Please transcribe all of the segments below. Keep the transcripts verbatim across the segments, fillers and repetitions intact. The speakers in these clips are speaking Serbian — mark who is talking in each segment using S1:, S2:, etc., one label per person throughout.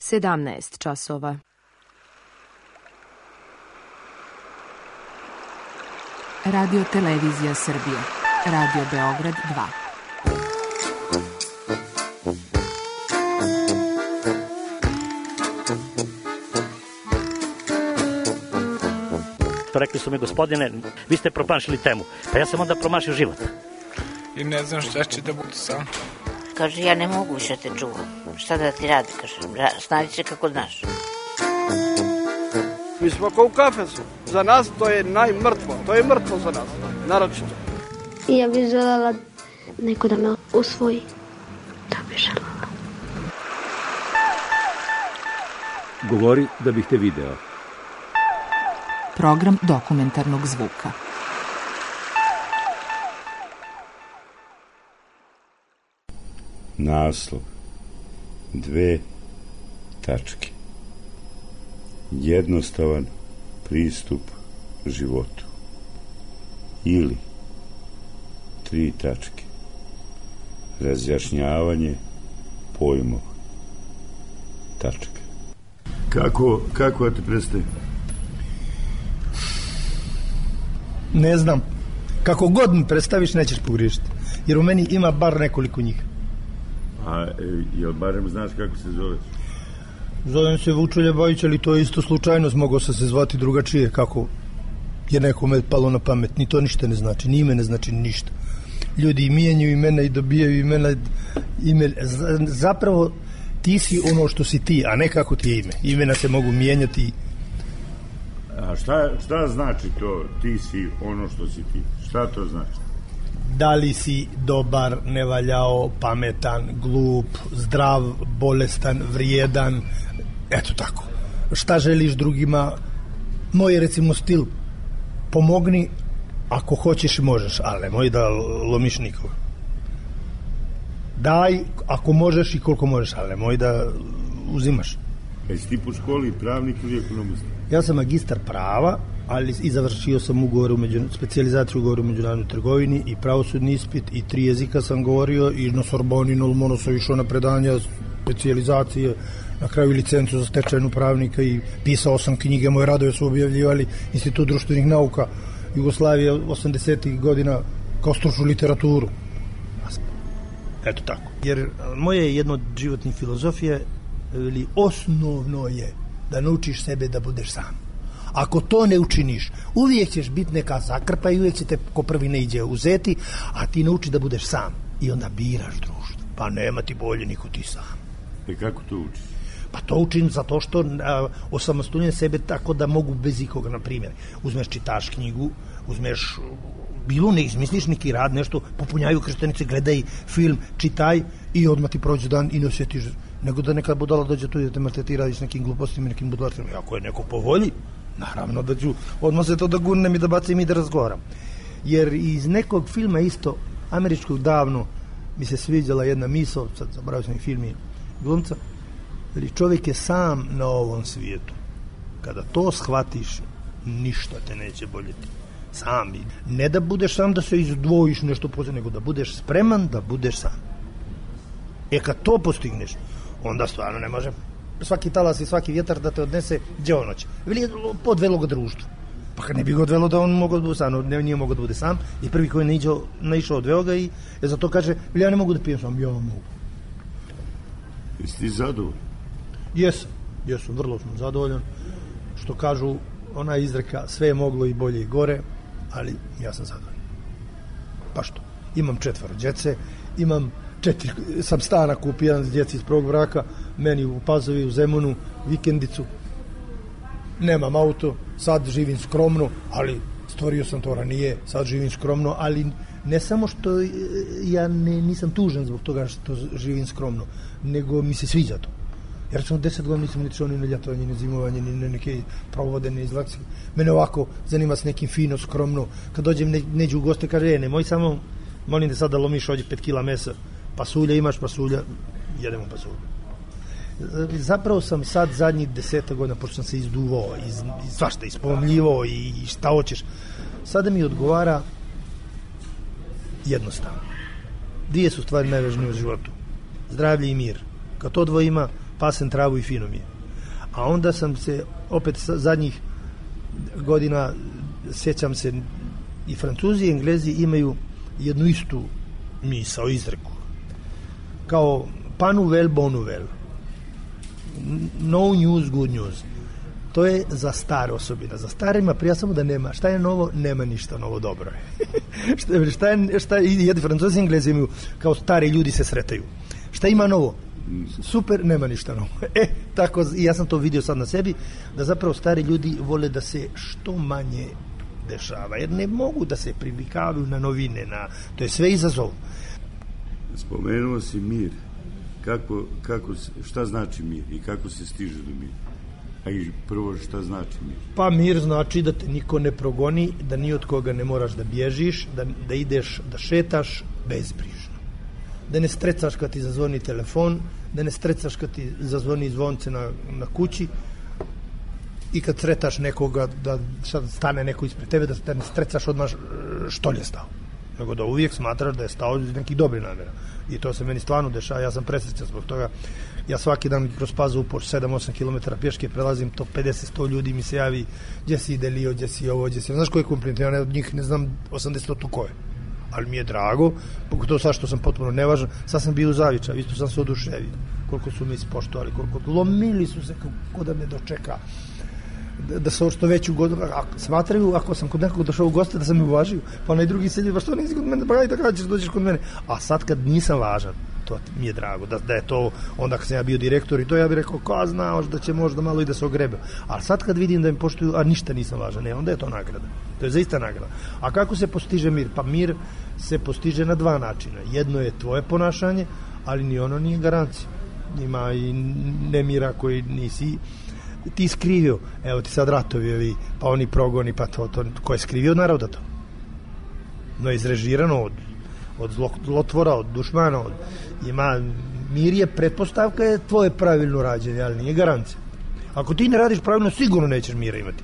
S1: sedamnaest časova.
S2: Radio Televizija Srbije. Radio Beograd dva.
S3: Rekli su mi, gospodine, vi ste promašili temu. Pa ja sam onda promašio život.
S4: I ne znam šta će da bude sam.
S5: Kaže, ja ne mogu više te čuvam. Šta da ti radi, kaže, snađi se kako znaš.
S6: Mi smo kao u kafesu. Za nas to je najmrtvo. To je mrtvo za nas, naročito.
S7: Ja bih željela neko da me usvoji. To bih željela.
S8: Govori da bih te video.
S2: Program dokumentarnog zvuka.
S9: Naslov. Dve tačke. Jednostavan pristup životu. Ili tri tačke. Razjašnjavanje pojmova. Tačka. Kako, kako da te predstavim?
S10: Ne znam. Kako god mi predstaviš, nećeš pogriješiti. Jer u meni ima bar nekoliko njih.
S9: A jel barem znaš kako se zoveš?
S10: Zovem se Vučelja Bajić, ali to je isto slučajnost. Mogao sam se zvati drugačije, kako je nekome palo na pamet. Ni to ništa ne znači, ni ime ne znači ništa. Ljudi mijenjaju imena i dobijaju imena. Ime, zapravo ti si ono što si ti, a ne kako ti je ime. Imena se mogu mijenjati.
S9: A šta, šta znači to ti si ono što si ti? Šta to znači?
S10: Da li si dobar, nevaljao, pametan, glup, zdrav, bolestan, vrijedan, eto tako. Šta želiš drugima? Moj, recimo, stil, pomogni ako hoćeš i možeš, ali nemoj da lomiš nikoga. Daj ako možeš i koliko možeš, ali nemoj da uzimaš.
S9: Jesi ti po školi pravnik ili ekonomista?
S10: Ja sam magistar prava, ali i završio sam ugovor u među, specijalizaciju ugovor u međunarodnoj trgovini i pravosudni ispit i tri jezika sam govorio i na Sorboni, na Lomonu sam išao na predanja specijalizacije, na kraju licencu za stečajnu pravnika i pisao sam knjige, moje radove su objavljivali Institut društvenih nauka Jugoslavije osamdesetih godina kao stručnu literaturu. Eto tako. Jer moje jedno od životnih filozofije ili osnovno je da naučiš sebe da budeš sam. Ako to ne učiniš, uvijek ćeš biti neka zakrpa i uvijek će te ko prvi ne iđe uzeti, a ti nauči da budeš sam. I onda biraš društvo. Pa nema ti bolje niko ti sam.
S9: I kako to učiš?
S10: Pa to učim zato što a, osamostaljujem sebe tako da mogu bez ikoga, na primjer. Uzmeš, čitaš knjigu, uzmeš bilo ne izmisliš neki rad, nešto, popunjaju krštenice, gledaj film, čitaj i odmah ti prođe dan i ne osjetiš. Nego da neka budala dođe tu i da te maltretira s nekim glupostima i nekim budalarstvima. Ako je neko po volji, naravno da ću odmah se to da gurnem i da bacim i da razgovaram. Jer iz nekog filma isto, američkog davno, mi se sviđala jedna misao, sad zaboravio sam i film i glumca, ali čovjek je sam na ovom svijetu. Kada to shvatiš, ništa te neće boljeti. Sam. Ne da budeš sam da se izdvojiš nešto posebno, nego da budeš spreman da budeš sam. E kad to postigneš, onda stvarno ne može svaki talas i svaki vjetar da te odnese gdje ono će. Ili je podvelo ga društvo. Pa kad ne bi ga odvelo da on mogao da bude sam, ne, nije mogao da bude sam, i prvi koji ne naišao odveo ga i e, zato kaže, ja ne mogu da pijem sam, ja mogu.
S9: Jesi ti zadovoljan?
S10: Jesam, jesam, vrlo sam zadovoljan. Što kažu, ona izreka, sve je moglo i bolje i gore, ali ja sam zadovoljan. Pa što? Imam četvoro djece, imam četiri, sam stana kupio jedan s djeci iz prvog braka, meni u Pazovi, u Zemunu, vikendicu, nemam auto, sad živim skromno, ali stvorio sam to ranije, sad živim skromno, ali ne samo što ja ne, nisam tužan zbog toga što živim skromno, nego mi se sviđa to. Jer sam deset godina nisam ni čuo ni na ljetovanje, ni zimovanje, ni na neke provode, ni izlaci. Mene ovako zanima s nekim fino, skromno. Kad dođem ne, neđu u goste, kaže, e, nemoj samo, molim da sada lomiš ovdje pet kila mesa, pasulja imaš, pasulja, jedemo pasulja. Zapravo sam sad zadnjih deseta godina, pošto sam se izduvao, iz, iz, svašta, ispomljivao i, i šta hoćeš. Sada mi odgovara jednostavno. Dvije su stvari najvažnije u životu. Zdravlje i mir. Kad to dvoje ima, pasem travu i fino mi je. A onda sam se, opet zadnjih godina, sjećam se, i Francuzi i Englezi imaju jednu istu misao, izreku. Kao pas nouvelle, bonne nouvelle. No news, good news. To je za stare osobina. Za starima prija samo da nema. Šta je novo? Nema ništa novo, dobro je. šta, šta je, šta je, jedni Francuzi i Englezi imaju, kao stari ljudi se sretaju. Šta ima novo? Super, nema ništa novo. E, tako, ja sam to vidio sad na sebi, da zapravo stari ljudi vole da se što manje dešava, jer ne mogu da se privikavaju na novine, na, to je sve izazov.
S9: Spomenuo si mir. Kako, kako, šta znači mir i kako se stiže do mira? A i prvo, šta znači mir?
S10: Pa mir znači da te niko ne progoni, da ni od koga ne moraš da bježiš, da, da ideš, da šetaš bezbrižno. Da ne strecaš kad ti zazvoni telefon, da ne strecaš kad ti zazvoni zvonce na, na kući i kad sretaš nekoga, da sad stane neko ispred tebe, da ne strecaš odmah što je stao. Nego da uvijek smatraš da je stao iz nekih dobrih namjera. I to se meni stvarno dešava, ja sam presrećan zbog toga. Ja svaki dan kroz Pazovu po sedam osam kilometara pješke prelazim, to pedeset sto ljudi mi se javi, gdje si Delio, gdje si ovo, gdje si... Znaš koji je kompliment? Ja od njih ne znam osamdeset ko je. Ali mi je drago, pogotovo sad što sam potpuno nevažan, sad sam bio u Zaviča, isto sam se oduševio. Koliko su mi ispoštovali, koliko lomili su se kako da me dočeka. Da, da se što veću godinu, smatraju ako sam kod nekog došao u goste da sam me uvažio, pa onaj drugi sedi, ba što nisi kod mene, pa ajde kada ćeš dođeš kod mene. A sad kad nisam važan, to mi je drago, da, da je to, onda kad sam ja bio direktor i to, ja bih rekao, ko znaš da će možda malo i da se ogrebe. Ali sad kad vidim da mi poštuju, a ništa nisam važan, ne, onda je to nagrada. To je zaista nagrada. A kako se postiže mir? Pa mir se postiže na dva načina. Jedno je tvoje ponašanje, ali ni ono nije garancija. Ima i nemira koji nisi ti skrivio. Evo ti sad ratovi ovi, pa oni progoni, pa to, to ko je skrivio od naroda to? No, izrežirano od, od zlotvora, od dušmana, od, ima, mir je pretpostavka, je tvoje pravilno rađenje, ali nije garancija. Ako ti ne radiš pravilno, sigurno nećeš mira imati.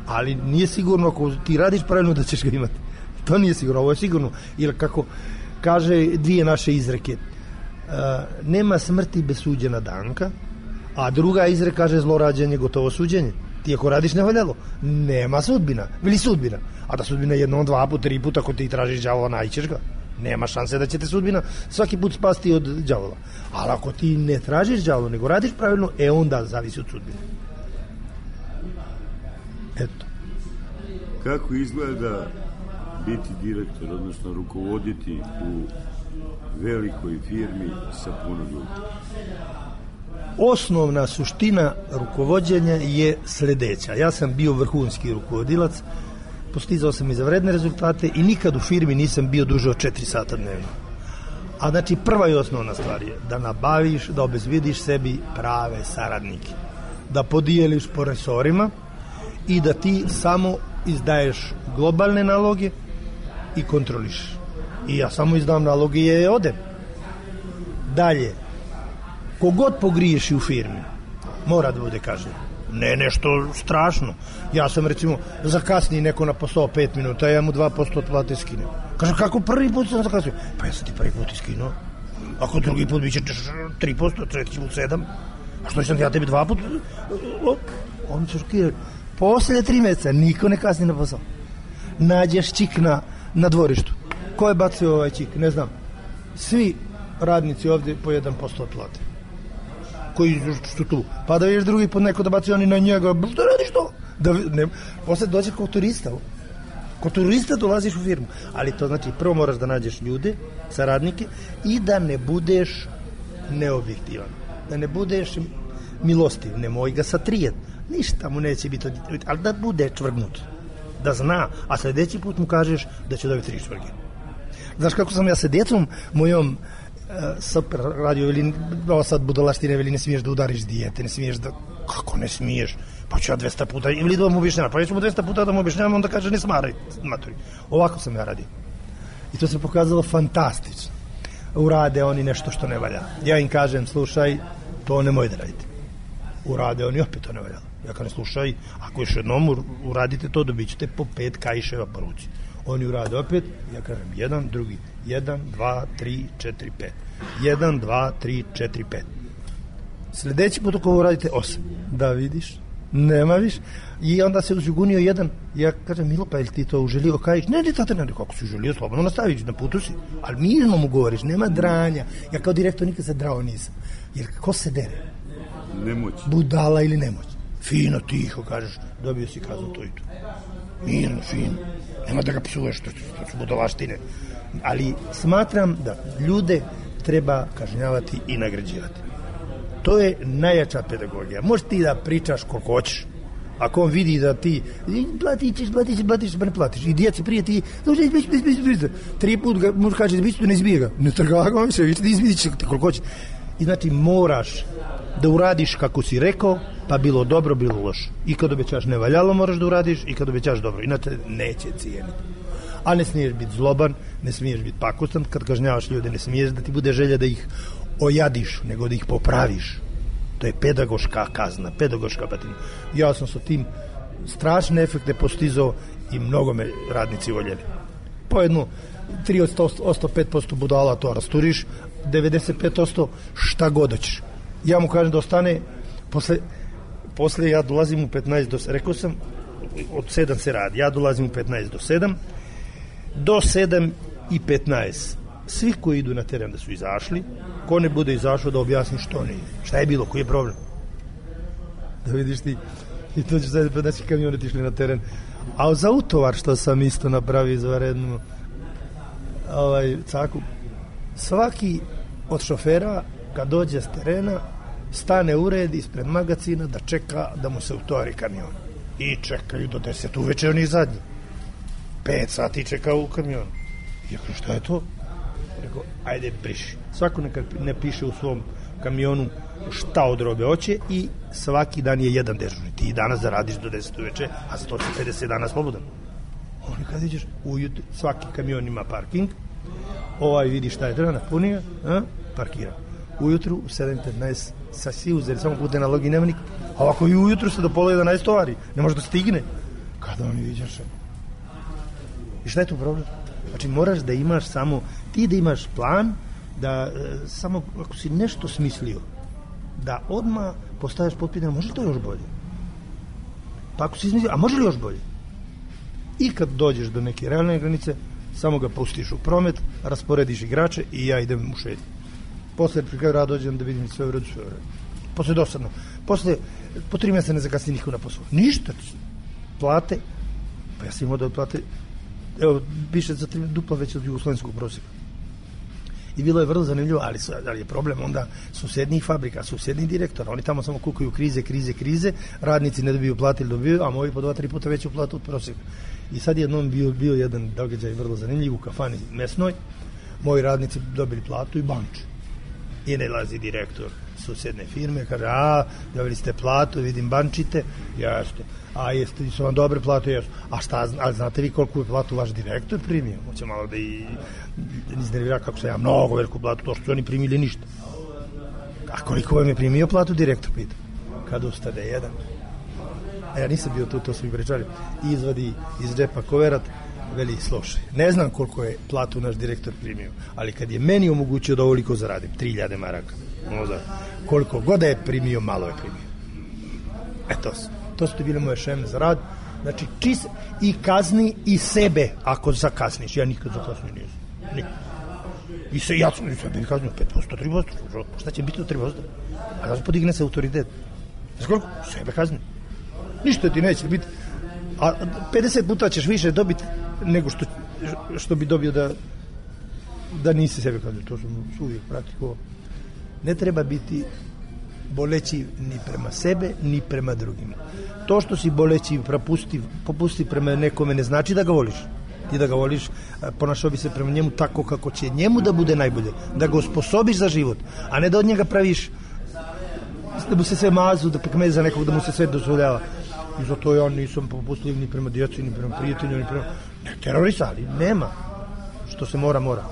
S10: Ali nije sigurno ako ti radiš pravilno da ćeš ga imati. To nije sigurno, ovo je sigurno. Ili kako kaže dvije naše izreke, uh, nema smrti bez suđena danka, a druga izreka kaže zlorađenje gotovo suđenje. Ti ako radiš nevaljalo, nema sudbina, ili sudbina. A da sudbina jednom, dva put, tri puta, ako ti tražiš đavola, nađeš ga. Nema šanse da će te sudbina svaki put spasti od đavola. Ali ako ti ne tražiš đavola, nego radiš pravilno, e onda zavisi od sudbine. Eto.
S9: Kako izgleda biti direktor, odnosno rukovoditi u velikoj firmi sa puno ljudi?
S10: Osnovna suština rukovođenja je sljedeća. Ja sam bio vrhunski rukovodilac, postizao sam izvanredne rezultate i nikad u firmi nisam bio duže od četiri sata dnevno. A znači prva i osnovna stvar je da nabaviš, da obezbediš sebi prave saradnike, da podijeliš po resorima i da ti samo izdaješ globalne naloge i kontroliš. I ja samo izdam naloge i je odem. Dalje, kogod pogriješi u firmi, mora da bude kažnjen. Ne nešto strašno. Ja sam recimo zakasniji neko na posao pet minuta, ja mu dva posto od plate skinem. Kaže, kako prvi put sam zakasnio? Pa ja sam ti prvi put iskinuo. Ako drugi put biće tri posto, treći put sedam. A što sam ja tebi dva put? Oni su šokirali. Poslije tri mjeseca niko ne kasni na posao. Nađeš čik na, na dvorištu. Ko je bacio ovaj čik? Ne znam. Svi radnici ovdje po jedan posto od plate. Koji su tu. Pa da vidiš drugi put neko da baci oni na njega. Što radiš to? Da, ne, poslije dođeš kao turista. Kao turista dolaziš u firmu. Ali to znači prvo moraš da nađeš ljude, saradnike i da ne budeš neobjektivan. Da ne budeš milostiv. Nemoj ga satrijeti. Ništa mu neće biti, ali da bude čvrgnut. Da zna, a sljedeći put mu kažeš da će dobiti tri čvrge. Znaš kako sam ja sa djecom mojom uh, super radio, veli, ovo sad budalaštine, veli, ne smiješ da udariš dijete, ne smiješ da... Kako ne smiješ? Pa ću ja dvesta puta, ili da mu objašnjavam, pa ja ću mu dvesta puta da mu objašnjavam, onda kaže ne smaraj, maturi. Ovako sam ja radio. I to se pokazalo fantastično. Urade oni nešto što ne valja. Ja im kažem, slušaj, to nemoj da radite. Urade oni opet to ne valja. Ja kažem, slušaj, ako još jednom uradite to, dobit ćete po pet kajševa po ruci. Oni urade opet, ja kažem, jedan, drugi, jedan, dva, tri, četiri, pet. Jedan, dva, tri, četiri, pet. Sljedeći put ako ovo radite osam. Da vidiš, nema više. I onda se uzjugunio jedan. Ja kažem, Milo, pa je li ti to uželio? Kajiš, ne, ne, tate, ne, kako si uželio, slobodno nastaviš, na putu si. Ali mirno mu govoriš, nema dranja. Ja kao direktor nikad se drao nisam. Jer ko se dere?
S9: Nemoć.
S10: Budala ili nemoć. Fino, tiho, kažeš, dobio si kaznu to i to. Mirno, fino. Nema da ga psuješ, to, to su budalaštine. Ali smatram da ljude treba kažnjavati i nagrađivati. To je najjača pedagogija. Možeš ti da pričaš koliko hoćeš. Ako on vidi da ti platit ćeš, platit ćeš, platit ćeš, pa ne platiš. I djeci prije ti, tri put ga možeš kaži, izbići, ne izbije ga. Ne trga ga više, izbiti će ti koliko hoćeš. I znači moraš da uradiš kako si rekao, pa bilo dobro, bilo loše. I kad obećaš nevaljalo moraš da uradiš, i kad obećaš dobro. Inače neće cijeniti. A ne smiješ biti zloban, ne smiješ biti pakostan. Kad kažnjavaš ljude, ne smiješ da ti bude želja da ih ojadiš, nego da ih popraviš. To je pedagoška kazna, pedagoška batina. Ja sam sa tim strašne efekte postizao i mnogo me radnici voljeli. Po jednu, tri od sto pet posto budala to rasturiš, devedeset pet posto šta god hoćeš. Ja mu kažem da ostane, posle, posle ja dolazim u petnaest do sedam, rekao sam, od sedam se radi, ja dolazim u petnaest do sedam, do sedam i petnaest. Svi koji idu na teren da su izašli, ko ne bude izašao da objasni što nije, šta je bilo, koji je problem. Da vidiš ti, i to ću sad naši kamioneti išli na teren. A za utovar što sam isto napravio izvarednu ovaj, caku, svaki od šofera kad dođe s terena stane u red ispred magacina da čeka da mu se utovari kamion. I čekaju do deset uveče, oni zadnji. Pet sati čekao u kamionu. I ja kažem, šta je to? Rekao, ajde briši. Svako neka ne piše u svom kamionu šta od robe hoće i svaki dan je jedan dežurni. Ti danas zaradiš do deset uveče, a sto pedeset dana slobodan. Oni kad ideš ujutro, svaki kamion ima parking, ovaj vidi šta je treba, napunio, a, parkira. Ujutru u sedam petnaest sa svi uzeli, samo pute na logi nema nikog. A ovako i ujutru se do pola jedanaest tovari, ne može da stigne. Kada oni vidiš? I šta je tu problem? Znači moraš da imaš samo, ti da imaš plan, da e, samo ako si nešto smislio, da odmah postaviš pod pitanje, može li to još bolje? Pa ako si smislio, a može li još bolje? I kad dođeš do neke realne granice, samo ga pustiš u promet, rasporediš igrače i ja idem u šetnju. Posle pri kraju rada dođem da vidim sve u redu, sve u redu. Posle dosadno. Posle, po tri mjeseca ne zakasni niko na posao. Ništa. Plate, pa ja sam imao da plate, evo, piše za tri dupla već od jugoslovenskog prosjeka. I bilo je vrlo zanimljivo, ali, ali je problem onda susednih fabrika, susednih direktora. Oni tamo samo kukaju krize, krize, krize, radnici ne dobiju plate ili dobiju, a moji po dva, tri puta veću platu od prosjeka. I sad jednom bio, bio jedan događaj vrlo zanimljiv u kafani mesnoj, moji radnici dobili platu i banče. I ne lazi direktor susedne firme, kaže, a, dobili ste platu, vidim bančite, jeste, a jeste, su vam dobre plate, jesu. A šta, a znate vi koliko je platu vaš direktor primio? Hoće malo da i iznervira kako sam ja mnogo veliku platu, to što su oni primili ništa. A koliko vam je primio platu direktor, pita? Kad ustade jedan. A ja nisam bio tu, to su mi pričali. Izvadi iz džepa koverat, veli, slušaj, ne znam koliko je platu naš direktor primio, ali kad je meni omogućio da ovoliko zaradim, tri hiljade maraka, možda, koliko god je primio, malo je primio. E to su, to su ti bile moje šeme za rad, znači čis i kazni i sebe ako zakasniš, ja nikad zakasnio nisam, nikad. I se, ja sam sebe kaznio pet posto, tri posto, šta će biti to tri posto? A da se podigne se autoritet. Znaš koliko? Sebe kaznio. Ništa ti neće biti, a pedeset puta ćeš više dobiti nego što, što bi dobio da da nisi sebe kaznio. To sam uvijek praktikovao. Ne treba biti boleći ni prema sebe, ni prema drugima. To što si boleći propusti, popusti prema nekome ne znači da ga voliš. Ti da ga voliš, ponašao bi se prema njemu tako kako će njemu da bude najbolje, da ga osposobiš za život, a ne da od njega praviš da mu se sve mazu, da pekmeza nekog, da mu se sve dozvoljava. I zato ja nisam popustljiv ni prema djeci, ni prema prijatelju, ni prema... Ne, terorista, ali nema. Što se mora, mora.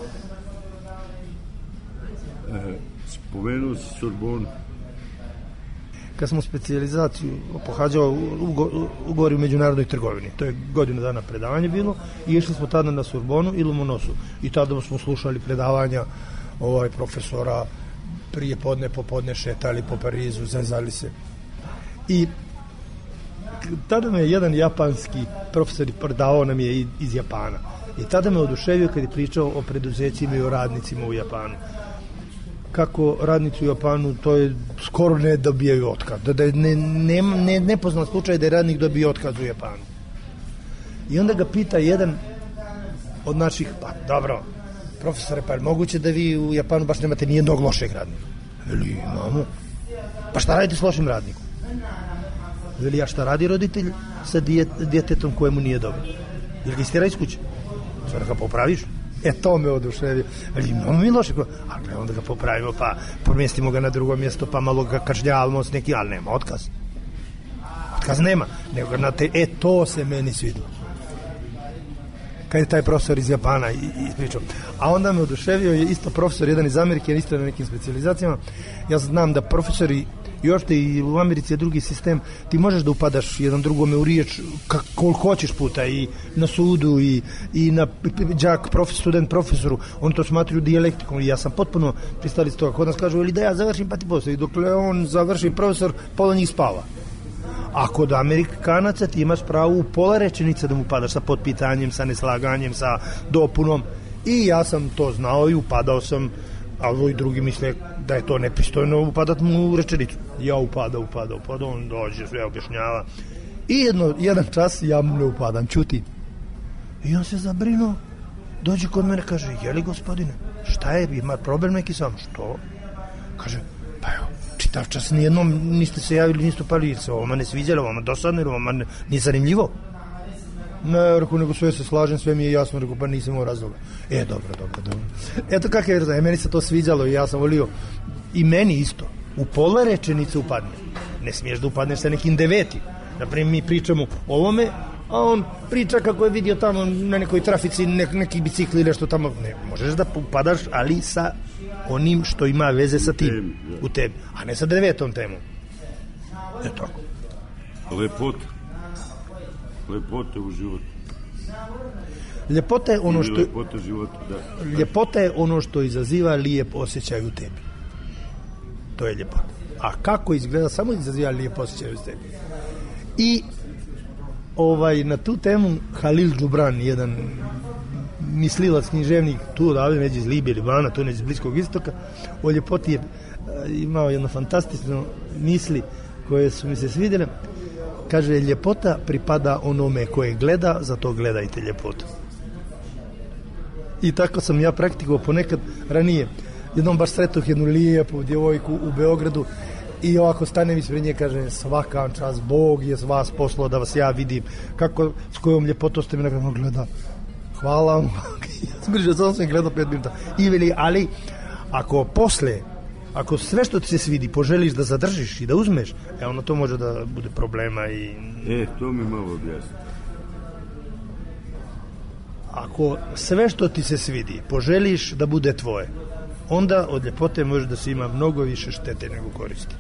S9: E, spomenuo si Sorbonu.
S10: Kad smo specijalizaciju pohađao ugovori u međunarodnoj trgovini, to je godinu dana predavanje bilo, i išli smo tada na Sorbonu i Lomonosu. I tada smo slušali predavanja ovaj profesora prije podne, popodne šetali po Parizu, zezali se. I tada me je jedan japanski profesor predavao nam je iz Japana. I tada me oduševio kad je pričao o preduzećima i o radnicima u Japanu. Kako radnici u Japanu, to je skoro ne dobijaju otkaz. Da, da ne, ne, ne, ne poznat slučaj da je radnik dobio otkaz u Japanu. I onda ga pita jedan od naših, pa dobro, profesore, pa je moguće da vi u Japanu baš nemate nijednog lošeg radnika? Veli, imamo. Pa šta radite s lošim radnikom? Veli, a šta radi roditelj sa dijet, djetetom kojemu nije dobro? Ili ga istira iz kuće? Sada ga popraviš? E, to me oduševio. Ali imamo mi loše, ali onda ga popravimo, pa pomjestimo ga na drugo mjesto, pa malo ga kažnjavamo s neki, ali nema otkaz. Otkaz nema, nego na te, e, to se meni svidilo. Kad je taj profesor iz Japana ispričao. A onda me oduševio je isto profesor, jedan iz Amerike, isto na nekim specijalizacijama. Ja znam da profesori još te i u Americi je drugi sistem, ti možeš da upadaš jedan drugome u riječ koliko hoćeš puta i na sudu i, i na đak, profesor, student profesoru, oni to smatruju dijalektikom i ja sam potpuno pristali s toga. Kod nas kažu, ili da ja završim pa ti postoji, dokle on završi profesor, pola njih spava. A kod Amerikanaca ti imaš pravo u pola rečenica da mu upadaš sa potpitanjem, sa neslaganjem, sa dopunom i ja sam to znao i upadao sam, a ovi drugi misle da je to nepristojno upadat mu u rečenicu. Ja upada, upada, upada, on dođe, sve objašnjava. I jedno, jedan čas ja mu ne upadam, čuti. I on se zabrinuo, dođe kod mene, kaže, jeli gospodine, šta je, ima problem neki sam? Što? Kaže, pa evo, čitav čas nijednom niste se javili, niste upali, se ovoma ne sviđalo, ovoma dosadno, ovoma nije zanimljivo. Ne, rekao, nego sve se slažem, sve mi je jasno, rekao, pa nisam imao razloga. E, dobro, dobro, dobro. Eto kako je razloga, meni se to sviđalo i ja sam volio, i meni isto, u pola rečenice upadne. Ne smiješ da upadneš sa nekim devetim. Naprimjer, mi pričamo o ovome, a on priča kako je vidio tamo na nekoj trafici nek, neki bicikli ili nešto tamo. Ne, možeš da upadaš, ali sa onim što ima veze sa tim, u tebi, a ne sa devetom temom. Eto.
S9: Lepota. Lepota u životu.
S10: Ljepota je ono što
S9: ljepota života, da.
S10: Ljepota je ono što izaziva lijep osjećaj u tebi. To je ljepota. A kako izgleda, samo izaziva lijep osjećaj u tebi. I ovaj na tu temu Halil Džubran, jedan mislilac, književnik tu odavde neđe iz Libije, Libana, tu neđe iz Bliskog istoka, o ljepoti je imao jedno fantastično misli koje su mi se svidjele. Kaže, ljepota pripada onome koje gleda, zato gledajte ljepotu. I tako sam ja praktikovao ponekad ranije. Jednom baš sretoh jednu lijepu djevojku u Beogradu i ovako stanem ispred nje, kažem, svaka čast, Bog je s vas poslao da vas ja vidim, kako, s kojom ljepotom ste me nakon gleda. Hvala vam. Zbrižao sam sam gledao pet minuta. I veli, ali ako posle, ako sve što ti se svidi poželiš da zadržiš i da uzmeš, e ono to može da bude problema i...
S9: E, to mi malo objasni.
S10: Ako sve što ti se svidi poželiš da bude tvoje, onda od ljepote može da se ima mnogo više štete nego koristi.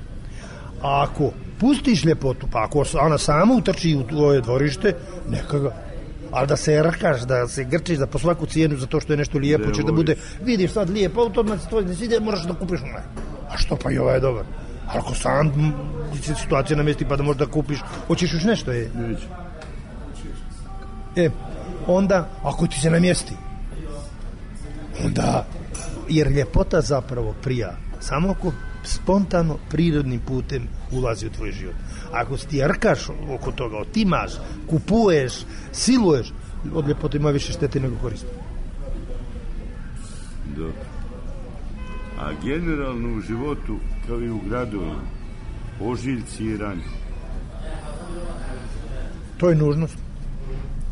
S10: A ako pustiš ljepotu, pa ako ona sama utrči u tvoje dvorište, neka ga. Ali da se rakaš, da se grčiš, da po svaku cijenu za to što je nešto lijepo, će da bude, vidiš sad lijepo, automat se tvoj ne svide, moraš da kupiš onaj. A što pa i ovaj je dobar? Ali ako sam se situacija namjesti pa da možda kupiš, hoćeš još nešto je?
S9: Neću.
S10: E, onda, ako ti se namjesti, onda, jer ljepota zapravo prija, samo ako spontano, prirodnim putem ulazi u tvoj život. Ako ti rkaš oko toga, otimaš, kupuješ, siluješ, od ljepote ima više štete nego koristi.
S9: Da. A generalno u životu, kao i u gradovima, ožiljci i rane.
S10: To je nužnost.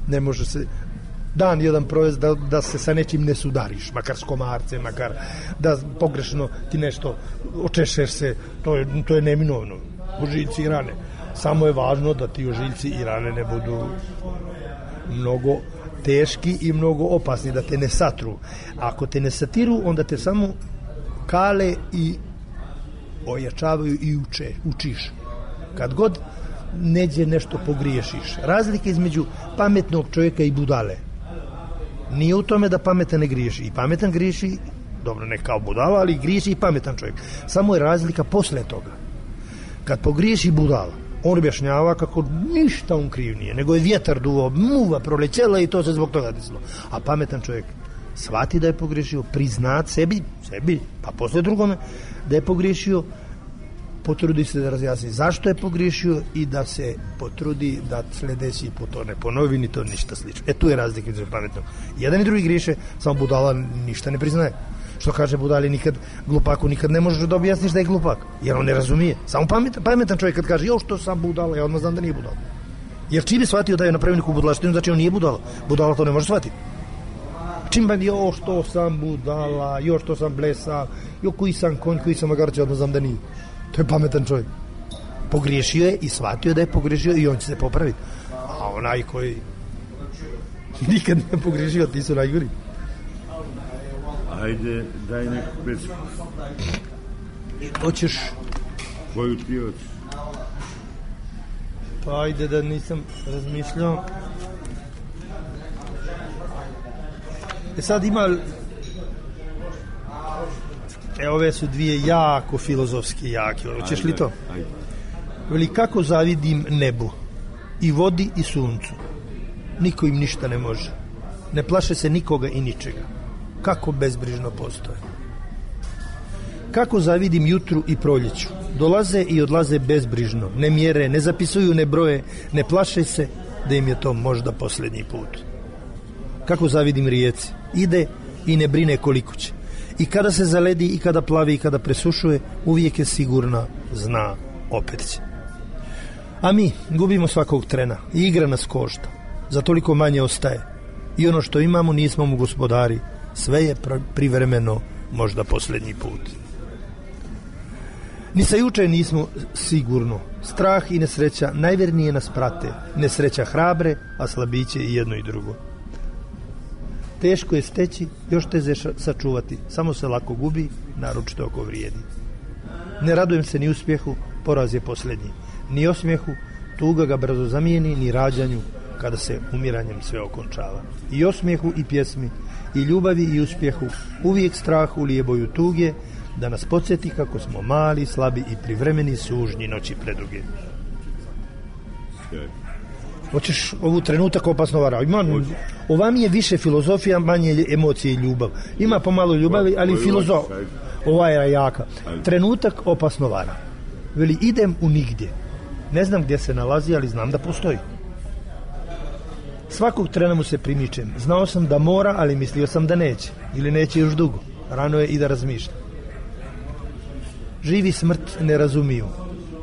S10: Ne može se dan jedan provesti da, da se sa nečim ne sudariš, makar s komarcem, makar da pogrešno ti nešto očešeš se, to je, to je neminovno. Ožiljci i rane. Samo je važno da ti ožiljci i rane ne budu mnogo teški i mnogo opasni, da te ne satru. Ako te ne satiru, onda te samo kale i ojačavaju i uče, učiš. Kad god neđe nešto pogriješiš. Razlika između pametnog čovjeka i budale nije u tome da pametan ne griješi. I pametan griješi dobro, ne kao budala, ali griješi i pametan čovjek. Samo je razlika posle toga. Kad pogriješi budala, on objašnjava kako ništa on kriv nije, nego je vjetar duo, muva prolećela i to se zbog toga desilo. A pametan čovjek shvati da je pogriješio, priznat sebi, sebi, pa posle drugome, da je pogriješio, potrudi se da razjasni zašto je pogriješio i da se potrudi da sljedeći put to ne ponovi ni to ništa slično. E tu je razlika između pametnog. Jedan i drugi griješe, samo budala ništa ne priznaje. Što kaže budali nikad, glupaku nikad ne možeš da objasniš da je glupak, jer on ne razumije. Samo pametan, pametan čovjek kad kaže jo što sam budala, ja odmah znam da nije budala. Jer čim je shvatio da je napravio neku budalaštinu, znači on nije budala. Budala to ne može shvatiti. Čim ba jo što sam budala, jo što sam blesa, jo koji sam konj, koji sam magarče, odmah znam da nije. To je pametan čovjek. Pogriješio je i shvatio da je pogriješio i on će se popraviti. A onaj koji nikad ne pogriješio, ti su najgori.
S9: Ajde, daj neku pesmu.
S10: Hoćeš?
S9: Koju ti hoćeš?
S10: Pa ajde da nisam razmišljao. E sad ima... E, ove su dvije jako filozofski jake. Hoćeš li to?
S9: Ajde.
S10: Veli, kako zavidim nebu, i vodi i suncu. Niko im ništa ne može. Ne plaše se nikoga i ničega. Kako bezbrižno postoje. Kako zavidim jutru i proljeću. Dolaze i odlaze bezbrižno. Ne mjere, ne zapisuju, ne broje. Ne plaše se da im je to možda posljednji put. Kako zavidim rijeci. Ide i ne brine koliko će. I kada se zaledi, i kada plavi, i kada presušuje, uvijek je sigurna, zna, opet će. A mi gubimo svakog trena i igra nas košta. Za toliko manje ostaje. I ono što imamo nismo mu gospodari. Sve je privremeno, možda posljednji put. Ni sa juče nismo sigurno. Strah i nesreća najvernije nas prate. Nesreća hrabre, a slabiće i jedno i drugo. Teško je steći, još teže sačuvati. Samo se lako gubi, naročito ako vrijedi. Ne radujem se ni uspjehu, poraz je posljednji. Ni osmijehu, tuga ga brzo zamijeni, ni rađanju, kada se umiranjem sve okončava. I osmijehu i pjesmi, i ljubavi i uspjehu, uvijek strah ulije boju tuge, da nas podsjeti kako smo mali, slabi i privremeni sužnji noći preduge. Hoćeš ovu trenutak opasno vara? Ima, ova mi je više filozofija, manje emocije i ljubav. Ima pomalo ljubavi, ali filozof. Ova je jaka. Trenutak opasno vara. Veli, idem u nigdje. Ne znam gdje se nalazi, ali znam da postoji. Svakog trena mu se primičem. Znao sam da mora, ali mislio sam da neće. Ili neće još dugo. Rano je i da razmišlja. Živi smrt ne razumiju.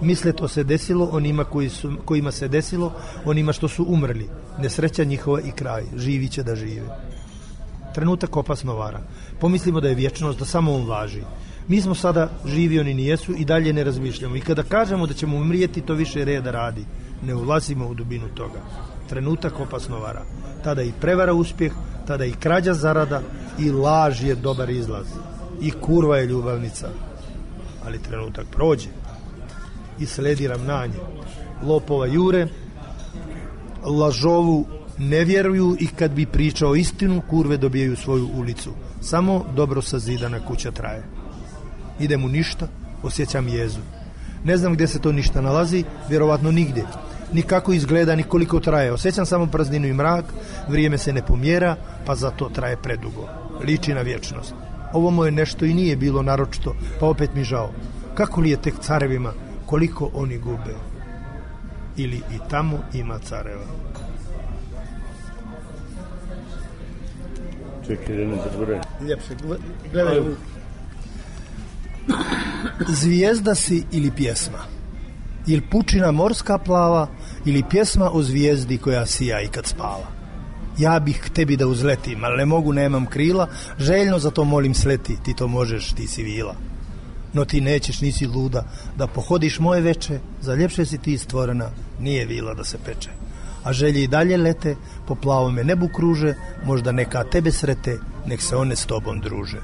S10: Misle to se desilo onima koji su, kojima se desilo, onima što su umrli. Nesreća njihova i kraj. Živi će da žive. Trenutak opasno vara. Pomislimo da je vječnost, da samo on važi. Mi smo sada živi, oni nijesu i dalje ne razmišljamo. I kada kažemo da ćemo umrijeti, to više reda radi. Ne ulazimo u dubinu toga. Trenutak opasno vara. Tada i prevara uspjeh, tada i krađa zarada, i laž je dobar izlaz. I kurva je ljubavnica. Ali trenutak prođe i sledi ravnanje. Lopova jure, lažovu ne vjeruju i kad bi pričao istinu, kurve dobijaju svoju ulicu. Samo dobro sazidana kuća traje. Idem u ništa, osjećam jezu. Ne znam gdje se to ništa nalazi, vjerovatno nigdje. Ni kako izgleda, ni koliko traje. Osjećam samo prazninu i mrak, vrijeme se ne pomjera, pa zato traje predugo. Liči na vječnost. Ovo moje nešto i nije bilo naročito, pa opet mi žao. Kako li je tek carevima, koliko oni gube? Ili i tamo ima careva?
S9: Čekaj, da ne zaboravim.
S10: Ljepše, gledaj. Zvijezda si ili pjesma? Ili pučina morska plava, ili pjesma o zvijezdi koja sija i kad spava? Ja bih k tebi da uzletim, ali ne mogu, nemam krila, željno za to molim sleti, ti to možeš, ti si vila. No ti nećeš, nisi luda, da pohodiš moje veče, za ljepše si ti stvorena, nije vila da se peče. A želje i dalje lete, po plavome nebu kruže, možda neka tebe srete, nek se one s tobom druže.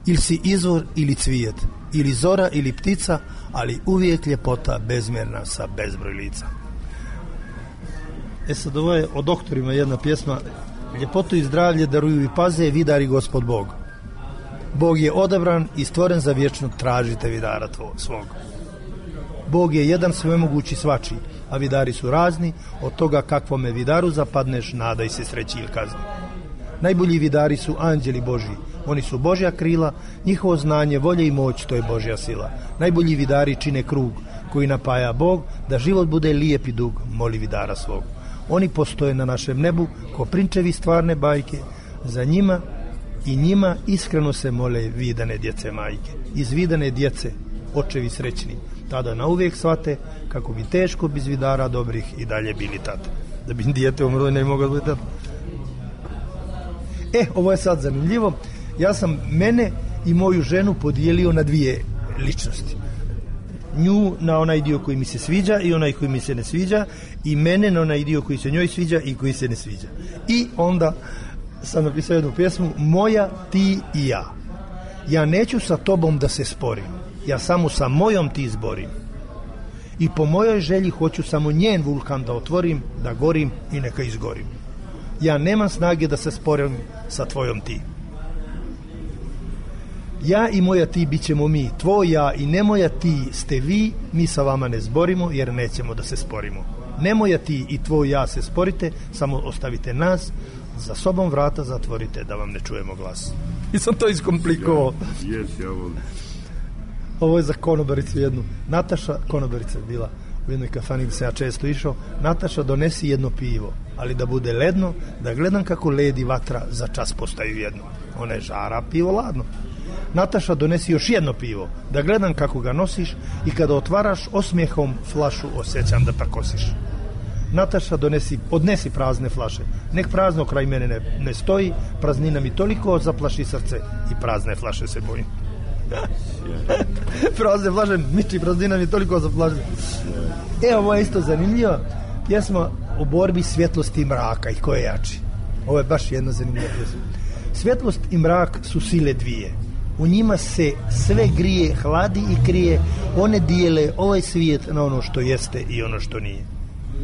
S10: Ili si izvor ili cvijet, ili zora ili ptica, ali uvijek ljepota bezmjerna sa bezbroj lica. E sad, ovo je o doktorima jedna pjesma. Ljepotu i zdravlje daruju i paze vidari Gospod Bog. Bog je odabran i stvoren za vječno, tražite vidara tvoj, svog. Bog je jedan svemogući svačiji, a vidari su razni, od toga kakvome vidaru zapadneš, nadaj se sreći ili kazni. Najbolji vidari su anđeli Božji, oni su Božja krila, njihovo znanje, volje i moć, to je Božja sila. Najbolji vidari čine krug koji napaja Bog, da život bude lijep i dug, moli vidara svog. Oni postoje na našem nebu ko prinčevi stvarne bajke, za njima i njima iskreno se mole vidane djece majke. Iz vidane djece očevi srećni, tada nauvijek shvate kako bi teško bez vidara dobrih i dalje bili tate. Da bi dijete umro ne mogao biti tate. E, ovo je sad zanimljivo. Ja sam mene i moju ženu podijelio na dvije ličnosti. Nju na onaj dio koji mi se sviđa i onaj koji mi se ne sviđa, i mene na onaj dio koji se njoj sviđa i koji se ne sviđa. I onda sam napisao jednu pjesmu, moja, ti i ja. Ja neću sa tobom da se sporim, ja samo sa mojom ti zborim. I po mojoj želji hoću samo njen vulkan da otvorim, da gorim i neka izgorim. Ja nemam snage da se sporim sa tvojom ti. Ja i moja ti bit ćemo mi, tvoj ja i ne moja ti ste vi, mi sa vama ne zborimo jer nećemo da se sporimo. Ne moja ti i tvoj ja se sporite, samo ostavite nas, za sobom vrata zatvorite da vam ne čujemo glas. I sam to iskomplikovao.
S9: Jes, ja volim.
S10: Ovo je za konobaricu jednu. Nataša, konobarica je bila u jednoj kafani gdje sam ja često išao. Nataša, donesi jedno pivo, ali da bude ledno, da gledam kako led i vatra za čas postaju jedno. Ona je žara, pivo ladno. Nataša, donesi još jedno pivo, da gledam kako ga nosiš i kada otvaraš osmijehom flašu osjećam da takosiš. Nataša, donesi, odnesi prazne flaše, nek prazno kraj mene ne, ne stoji, praznina mi toliko zaplaši srce i prazne flaše se bojim. Prazne flaše, miči, praznina mi toliko zaplaši. E, ovo je isto zanimljivo, pjesma o borbi svjetlosti i mraka i ko je jači. Ovo je baš jedna zanimljiva pjesma. Svjetlost i mrak su sile dvije. U njima se sve grije, hladi i krije, one dijele ovaj svijet na ono što jeste i ono što nije.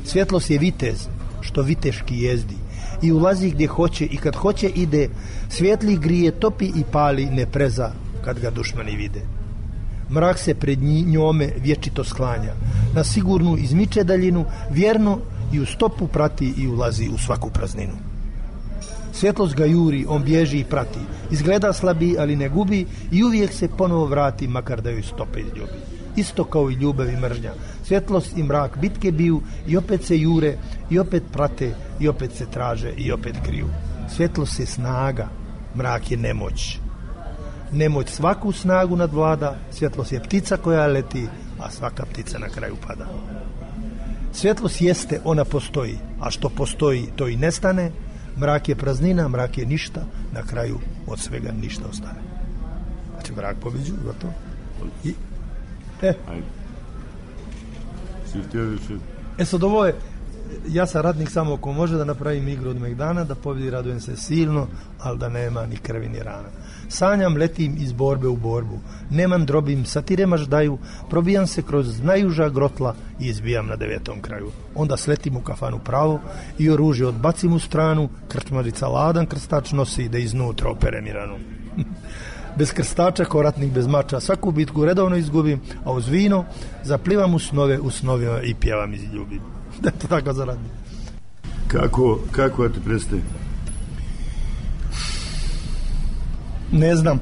S10: Svjetlost je vitez, što viteški jezdi, i ulazi gdje hoće i kad hoće ide, svjetli grije, topi i pali, ne preza kad ga dušmani vide. Mrak se pred njome vječito sklanja, na sigurnu izmiče daljinu, vjerno i u stopu prati i ulazi u svaku prazninu. Svjetlost ga juri, on bježi i prati, izgleda slabi, ali ne gubi i uvijek se ponovo vrati, makar da joj stope izljubi. Isto kao i ljubav i mržnja. Svjetlost i mrak bitke biju i opet se jure i opet prate i opet se traže i opet kriju. Svjetlost je snaga, mrak je nemoć. Nemoć svaku snagu nadvlada, svjetlost je ptica koja leti, a svaka ptica na kraju pada. Svjetlost jeste, ona postoji, a što postoji to i nestane. Mrak je praznina, mrak je ništa, na kraju od svega ništa ostane. Znači mrak pobeđuje, gotovo. I E, e sad ovo je, ja sam radnik samo ako može da napravim igru od megdana, da pobjedi radujem se silno, ali da nema ni krvi ni rana. Sanjam, letim iz borbe u borbu, nemam drobim, satirema ždaju, probijam se kroz najuža grotla i izbijam na devetom kraju. Onda sletim u kafanu pravo i oružje odbacim u stranu, krčmarica ladan krstač nosi da iznutra opere mi ranu. Bez krstača ko ratnik bez mača, svaku bitku redovno izgubim, a uz vino zaplivam u snove, u snovima i pjevam i ljubim. Da je to tako za radnik.
S9: Kako, kako da te predstavi?
S10: Ne znam.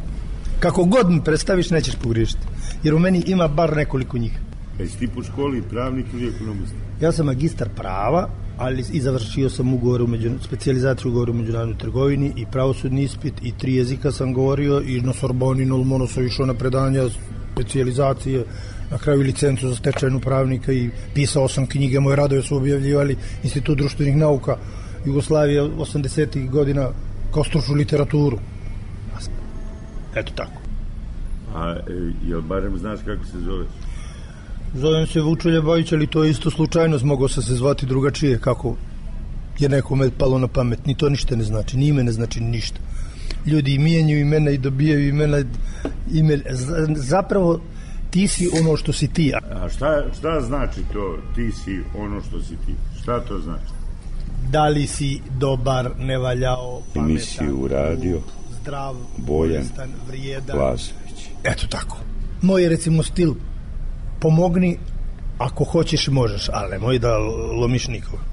S10: Kako god mi predstaviš, nećeš pogriješiti. Jer u meni ima bar nekoliko njih.
S9: Jesi ti po školi pravnik ili ekonomist?
S10: Ja sam magistar prava, ali i završio sam ugovor u među, specijalizaciju ugovor u međunarodnoj trgovini i pravosudni ispit i tri jezika sam govorio i na Sorboni, na Lmono sam išao na predanja specijalizacije, na kraju licencu za stečajnu pravnika i pisao sam knjige, moje radove su objavljivali Institut društvenih nauka Jugoslavije osamdesetih godina kao stručnu literaturu. Eto tako.
S9: A jel barem znaš kako se zoveš?
S10: Zovem se Vučelja Bajić, ali to je isto slučajnost, mogao sam se zvati drugačije, kako je nekome palo na pamet. Ni to ništa ne znači, ni ime ne znači ništa. Ljudi mijenjaju imena i dobijaju imena, ime, zapravo ti si ono što si ti.
S9: A šta, šta znači to ti si ono što si ti? Šta to znači?
S10: Da li si dobar, ne valjao, pametan,
S9: nisi uradio,
S10: zdrav,
S9: Bojan
S10: koristan, vrijedan.
S9: Lazović.
S10: Eto tako. Moj je recimo stil pomogni ako hoćeš možeš, ali nemoj da lomiš nikoga.